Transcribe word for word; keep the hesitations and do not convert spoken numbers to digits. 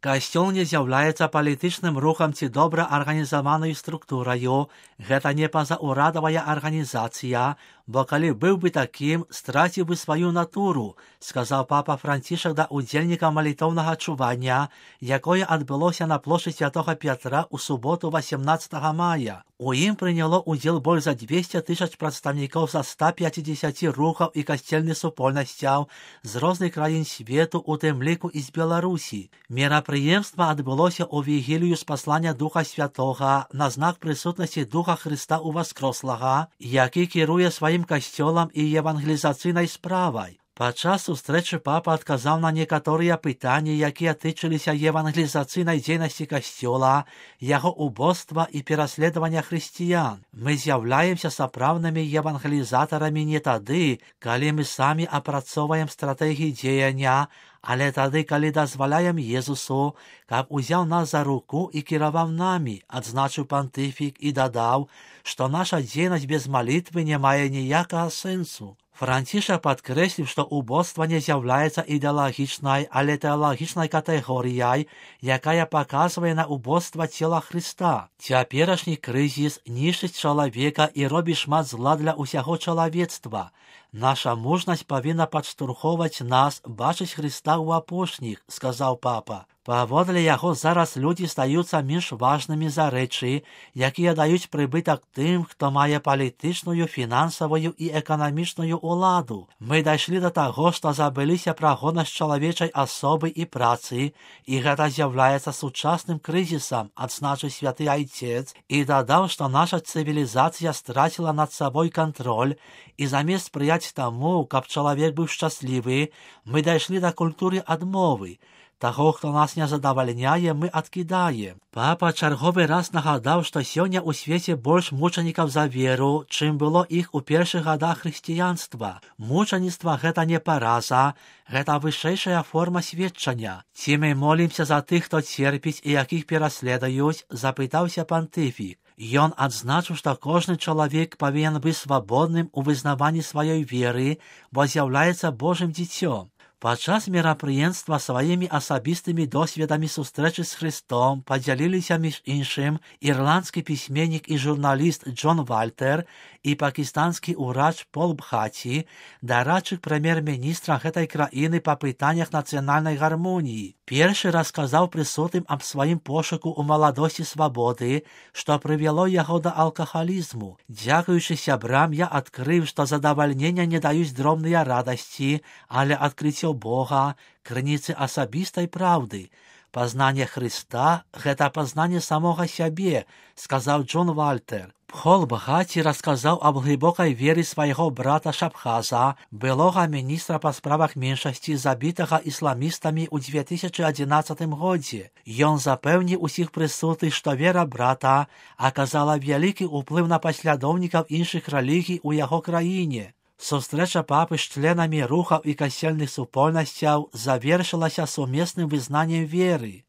Касцёл не з'яўляецца палітычным рухам ці добра арганізаванай структураю. Гэта не пазаўрадавая арганізацыя, бо калі быў бы такім, страціў бы сваю натуру, сказаў папа Францішак да ўдзельнікаў малітоўнага чування, якое адбылося на плошчы Святога Пятра ў суботу васемнаццатага мая. У ім прыняло ўдзел больш за дзвесце тысяч прадстаўнікоў са ста пяцідзесяці рухаў і касцельных супольнасцяў з розных краін свету, у тым ліку і з Беларусі. Мерапрыемства адбылося ў вігілію спаслання Духа Святога на знак прысутнасці Духа Хрыста Уваскрослага, які кіруе сваім касцёлам і евангелізацыйнай справай. Падчас сустрэчы папа адказаў на некаторыя пытанні, якія тычыліся евангелізацыйнай дзейнасці касцёла, яго убоства і пераследавання хрысціян. Мы з'яўляемся сапраўднымі евангелізатарамі не тады, калі мы самі апрацоўваем стратэгіі дзеяння, але тады, калі дазваляем Езусу, каб узяў нас за руку і кіраваў намі, адзначыў пантыфік і дадаў, што наша дзейнасць без малітвы не мае ніякага сэнсу. Францішак падкрэсліў, што убоства не з'яўляецца ідэалагічнай, але тэалагічнай катэгорыяй, якая паказвае на убоства цела Хрыста. Цяперашні крызіс нішчыць чалавека і робіць шмат зла для ўсяго чалавецтва. Наша мужнасць павінна падштурхоўваць нас бачыць Хрыста ў апошніх, сказаў папа. Паводле яго зараз людзі стаюцца менш важнымі за рэчы, якія даюць прыбытак тым, хто мае палітычную, фінансавую і эканамічную ўладу. Мы дайшлі да таго, што забыліся пра годнасць чалавечай асобы і працы, і гэта з'яўляецца сучасным крызісам, адзначыў святы айцец, і дадаў, што наша цывілізацыя страціла над сабой кантроль, і замест спрыяць таму, каб чалавек быў шчаслівы, мы дайшлі да культуры адмовы. Таго, хто нас не задавальняе, мы адкідаем. Папа чарговы раз нагадаў, што сёння ў свеце больш мучанікаў за веру, чым было іх у першых гадах хрысціянства. Мучаніцтва гэта не параза, гэта вышэйшая форма сведчання. Ці мы молімся за тых, хто церпіць і якіх пераследуюць, запытаўся пантыфік. Ён адзначыў, што кожны чалавек павінен быць свабодным у вызнаванні сваёй веры, бо з'яўляецца Божым дзіцём. Падчас мерапрыемства сваімі асабістымі досведамі сустрэчы з Хрыстом падзяліліся між іншым ірландскі пісьменнік і журналіст Джон Вальтер і пакістанскі ўрач Пол Бхаці, дарадчык прэм'ер-міністра гэтай краіны па пытаннях нацыянальнай гармоніі. Першы расказаў прысутным аб сваім пошуку ў маладосці свабоды, што прывяло яго да алкагалізму. Дзякуючы сябрам я адкрыў, што задавальнення не даюць дробныя радасці, але адкрыццё Бога, крыніцы асабістай праўды. Пазнанне Хрыста – гэта пазнанне самога сябе, сказаў Джон Вальтер. Пхол Бхаці расказаў аб глыбокай веры свайго брата Шабхаза, былога міністра па справах меншасці, забітага ісламістамі ў дзве тысячы адзінаццатым годзе. Ён запэўніў усіх прысутных, што вера брата аказала вялікі ўплыў на паслядоўнікаў іншых рэлігій у яго краіне. Сустрэча папы з членамі рухаў і касцельных супольнасцяў завершылася сумесным вызнаннем веры.